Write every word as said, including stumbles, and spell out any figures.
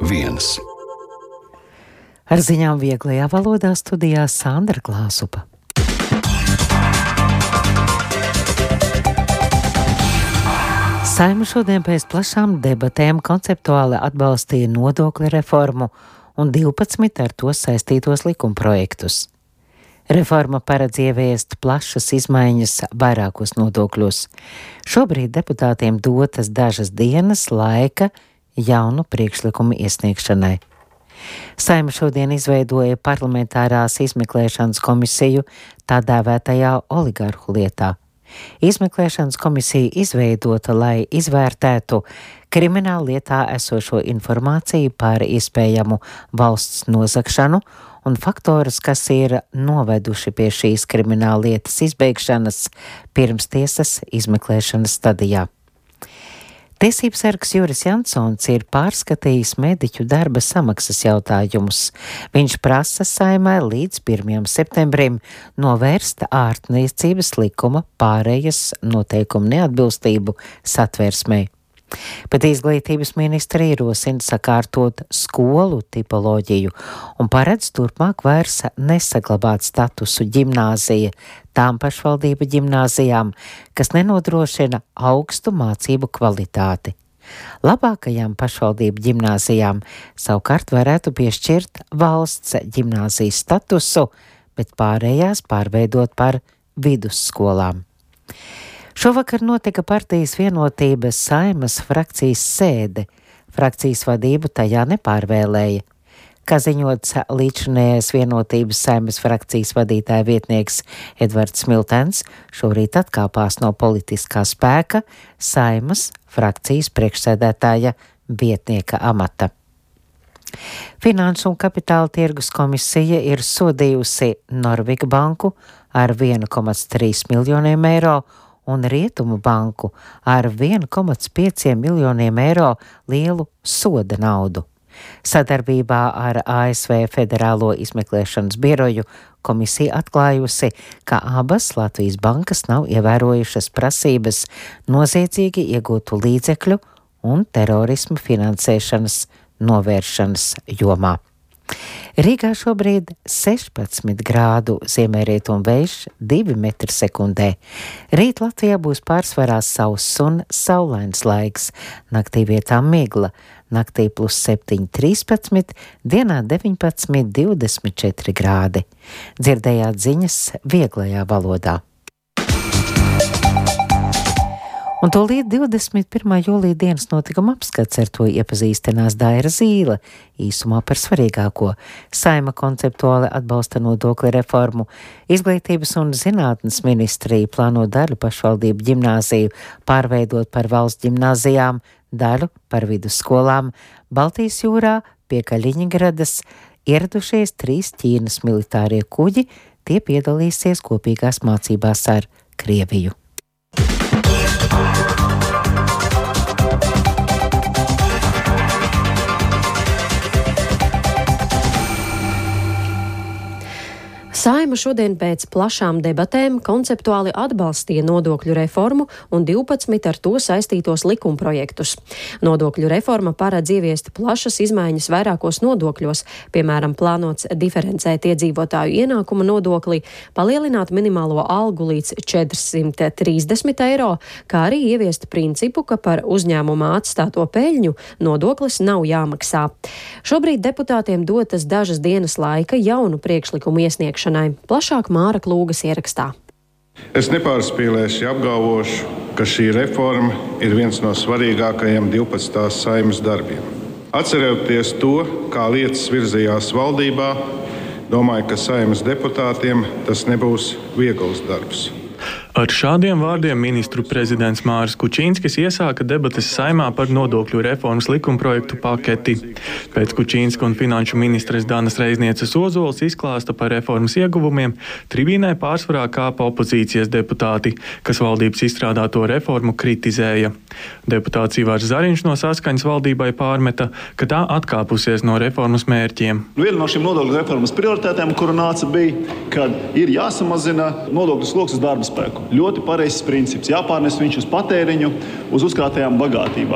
viens. Ar ziņām vieglajā valodā studijā Sandra Klāsupa. Saeima šodien pēc plašām debatēm konceptuāli atbalstīja nodokļu reformu un divpadsmit ar to saistītos likumprojektus. Reforma paredz ieviest plašas izmaiņas vairākos nodokļos. Šobrīd deputātiem dotas dažas dienas laika jaunu priekšlikumu iesniegšanai. Saeima šodien izveidoja parlamentārās izmeklēšanas komisiju tā dēvētajā oligarhu lietā. Izmeklēšanas komisija izveidota, lai izvērtētu krimināla lietā esošo informāciju par iespējamu valsts nozagšanu un faktorus, kas ir noveduši pie šīs krimināla lietas izbeigšanas pirmstiesas izmeklēšanas stadijā. Tiesības sargs Juris Jansons ir pārskatījis mediķu darba samaksas jautājumus. Viņš prasa Saeimai līdz pirmajam septembrim novērst ārstniecības likuma pārējas noteikumu neatbilstību satversmei. Bet izglītības ministra ierosina sakārtot skolu tipoloģiju un paredz turpmāk vairs nesaglabāt statusu ģimnāzija tām pašvaldību ģimnāzijām, kas nenodrošina augstu mācību kvalitāti. Labākajām pašvaldību ģimnāzijām savukārt varētu piešķirt valsts ģimnāzijas statusu, bet pārējās pārveidot par vidusskolām. Šovakar notika partijas vienotības Saeimas frakcijas sēde. Frakcijas vadību tajā nepārvēlēja. Kā ziņots, līdzinājais vienotības Saeimas frakcijas vadītāja vietnieks Edvards Smiltens šorīt atkāpās no politiskā spēka Saeimas frakcijas priekšsēdētāja vietnieka amata. Finanšu un kapitāla tirgus komisija ir sodījusi Norviga banku ar vienu komats trīs miljoniem eiro un Rietumu banku ar vienu komats pieciem miljoniem eiro lielu soda naudu. Sadarbībā ar A S V Federālo izmeklēšanas biroju komisija atklājusi, ka abas Latvijas bankas nav ievērojušas prasības noziedzīgi iegūtu līdzekļu un terorismu finansēšanas novēršanas jomā. Rīgā šobrīd sešpadsmit grādu ziemeļrietumu vējš divi metri sekundē. Rīt Latvijā būs pārsvarā sauss un saulains laiks, naktī vietām migla, naktī plus septiņi trīspadsmit, dienā deviņpadsmit divdesmit četri grādi. Dzirdējāt ziņas vieglajā valodā. Un tūlīt divdesmit pirmā jūlija dienas notikuma apskats, ar to iepazīstinās Daira Zīle. Īsumā par svarīgāko. Saeima konceptuāli atbalsta nodokļu reformu. Izglītības un zinātnes ministrija plāno daļu pašvaldību ģimnāziju pārveidot par valsts ģimnāzijām, daļu par vidusskolām. Baltijas jūrā pie Kaļiņgradas ieradušies trīs Ķīnas militārie kuģi, tie piedalīsies kopīgās mācībās ar Krieviju. Saeima šodien pēc plašām debatēm konceptuāli atbalstīja nodokļu reformu un divpadsmit ar to saistītos likumprojektus. Nodokļu reforma paredz ieviest plašas izmaiņas vairākos nodokļos, piemēram, plānots diferencēt iedzīvotāju ienākuma nodokli, palielināt minimālo algu līdz četrsimt trīsdesmit eiro, kā arī ieviest principu, ka par uzņēmumā atstāto peļņu nodoklis nav jāmaksā. Šobrīd deputātiem dotas dažas dienas laika jaunu priekšlikumu iesniegšanai. Plašāk Māra Klūgas ierakstā. Es nepārspīlēšu, ja apgalvošu, ka šī reforma ir viens no svarīgākajiem divpadsmitās Saeimas darbiem. Atceroties to, kā lietas virzījās valdībā, domāju, ka Saeimas deputātiem tas nebūs viegls darbs. Ar šādiem vārdiem ministru prezidents Māris Kučīnskis iesāka debates Saeimā par nodokļu reformas likumprojektu paketi. Pēc Kučīnska un finanšu ministres Danas Reiznieces Ozols izklāsta par reformas ieguvumiem, tribīnē pārsvarā kāpa opozīcijas deputāti, kas valdības izstrādāto reformu kritizēja. Deputāts Ivars Zariņš no Saskaņas valdībai pārmeta, ka tā atkāpusies no reformas mērķiem. Viena no šīm nodokļu reformas prioritātēm, kura nāca, bija, ka ir jāsamazina nodokļu sloks uz darba spēku. Ļoti pareizs princips. Jāpārnes viņš uz patēriņu, uz uzkrātajām bagātībām.